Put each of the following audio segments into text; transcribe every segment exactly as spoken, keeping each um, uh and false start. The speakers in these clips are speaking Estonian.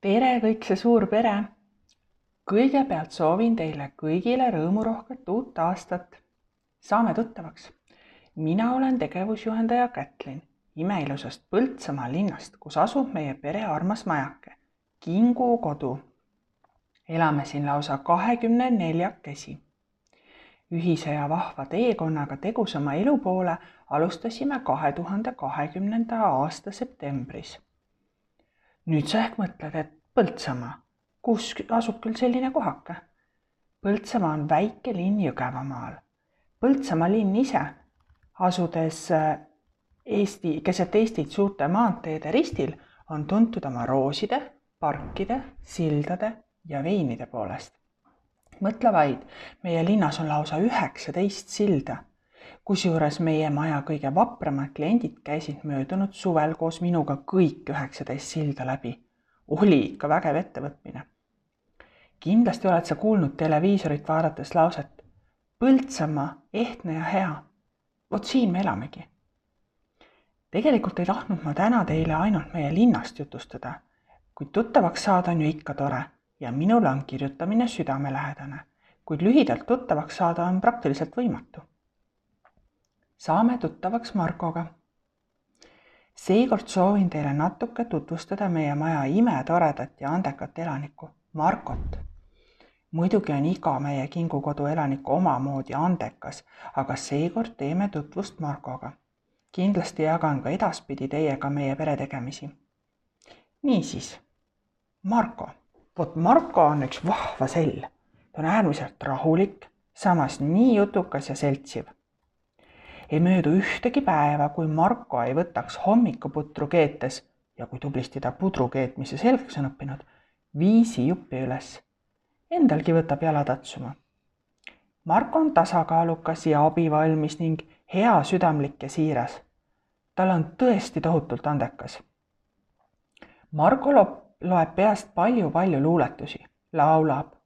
Tere kõik see suur pere! Kõigepealt soovin teile kõigile rõõmurohket uut aastat. Saame tuttavaks. Mina olen tegevusjuhendaja Kätlin imeilusast Põltsamaa linnast, kus asub meie pere armas majake, Kingu kodu. Elame siin lausa kahekümne neljakesi. Ühise ja vahva teekonnaga tegusama elu poole alustasime kahe tuhande kahekümnenda aasta septembris. Nüüd sa ehk mõtled, et Põltsamaa, kus asub küll selline kohake? Põltsamaa on väike linn Jõgevamaal. Põltsamaa linn ise, asudes Eesti, keset Eestit suurte maanteede ristil, on tuntud oma rooside, parkide, sildade ja veinide poolest. Mõtle vaid, meie linnas on lausa üheksateist silda, kusjuures meie maja kõige vapramad kliendid käisid möödunud suvel koos minuga kõik üheksateist silda läbi. Oli ikka vägev ettevõtmine. Kindlasti oled sa kuulnud televiisorit vaadates lauset Põltsamaa, ehtne ja hea. Vot siin me elamegi. Tegelikult ei tahtnud ma täna teile ainult meie linnast jutustada, kuid tuttavaks saada on ju ikka tore ja minul on kirjutamine südamelähedane, kuid lühidalt tuttavaks saada on praktiliselt võimatu. Saame tuttavaks Markoga. Seekord soovin teile natuke tutvustada meie maja imetoredat ja andekat elanikku, Markot. Muidugi on iga meie Kingu kodu elaniku omamoodi andekas, aga seekord teeme tutvust Markoga. Kindlasti jagan ka edaspidi teiega meie peretegemisi. Niisiis, Marko. Vot Marko on üks vahva sell. Ta on äärmiselt rahulik, samas nii jutukas ja seltsiv. Ei möödu ühtegi päeva, kui Marko ei võtaks hommikuputru keetes ja kui tublisti ta pudru keetmise selgeks on õppinud, viisi juppi üles. Endalgi võtab jala tatsuma. Marko on tasakaalukas ja abivalmis ning hea südamlik ja siiras. Tal on tõesti tohutult andekas. Marko loeb peast palju-palju luuletusi, laulab,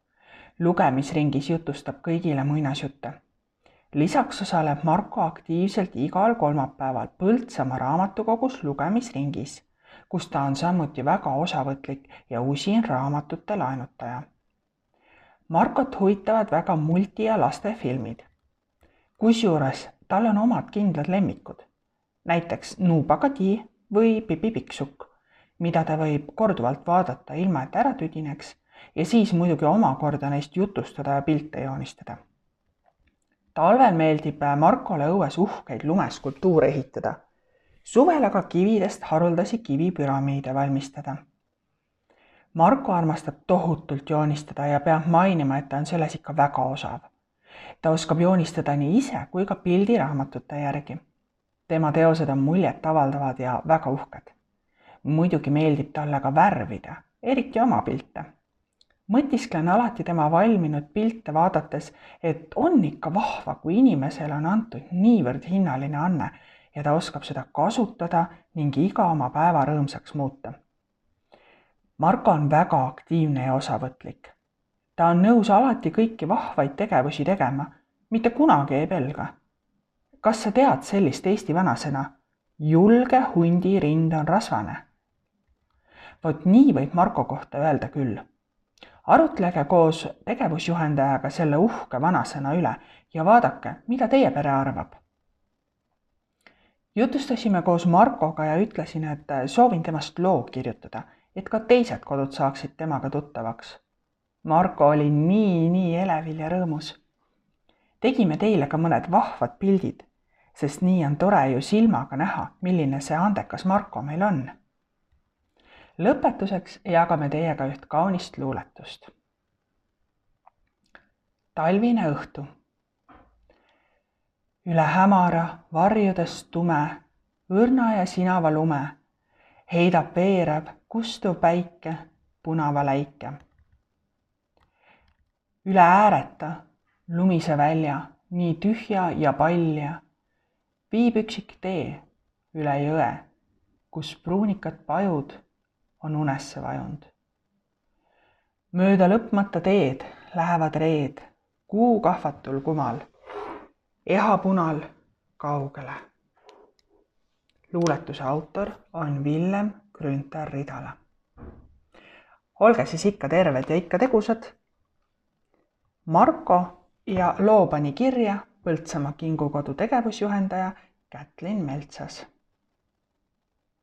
lugemisringis jutustab kõigile muinasjutte. Lisaks osaleb Marko aktiivselt igal kolmapäeval Põltsamaa raamatukogus lugemisringis, kus ta on samuti väga osavõtlik ja usin raamatute laenutaja. Markot huvitavad väga multi- ja lastefilmid. Kusjuures tal on omad kindlad lemmikud, näiteks Nuupagadi või Pipi Pikksukk, mida ta võib korduvalt vaadata ilma et ära tüdineks ja siis muidugi omakorda neist jutustada ja pilte joonistada. Talvel meeldib Markole õues uhkeid lumeskulptuure ehitada, suvel aga kividest haruldasi kivipüramiide valmistada. Marko armastab tohutult joonistada ja peab mainima, et ta on selles ikka väga osav. Ta oskab joonistada nii ise kui ka pildiraamatute järgi. Tema teosed on muljet avaldavad ja väga uhked. Muidugi meeldib talle ka värvida, eriti oma pilte. Mõtisklen alati tema valminud pilte vaadates, et on ikka vahva, kui inimesele on antud niivõrd hinnaline anne ja ta oskab seda kasutada ning iga oma päeva rõõmsaks muuta. Marko on väga aktiivne ja osavõtlik. Ta on nõus alati kõiki vahvaid tegevusi tegema, mitte kunagi ei pelga. Kas sa tead sellist Eesti vanasõna? Julge hundi rind on rasvane. Vot nii võib Marko kohta öelda küll. Arutlege koos tegevusjuhendajaga selle uhke vanasõna üle ja vaadake, mida teie pere arvab. Jutustasime koos Markoga ja ütlesin, et soovin temast loo kirjutada, et ka teised kodud saaksid temaga tuttavaks. Marko oli nii, nii elevil ja rõõmus. Tegime teile ka mõned vahvad pildid, sest nii on tore ju silmaga näha, milline see andekas Marko meil on. Lõpetuseks jagame teiega üht kaunist luuletust. Talvine õhtu. Üle hämara, varjudes tume, õrna ja sinava lume, heidab veerev, kustuv päike, punava läike. Üle ääreta, lumise välja, nii tühja ja palja, viib üksik tee üle jõe, kus pruunikad pajud on unesse vajunud. Mööda lõpmata teed lähevad reed, kuu kahvatul kumal, ehapunal kaugele. Luuletuse autor on Villem Grünthar Ridala. olge siis ikka terved ja ikka tegusad. Marko ja loo pani kirja Põltsamaa Kingukodu tegevusjuhendaja Kätlin Meltsas.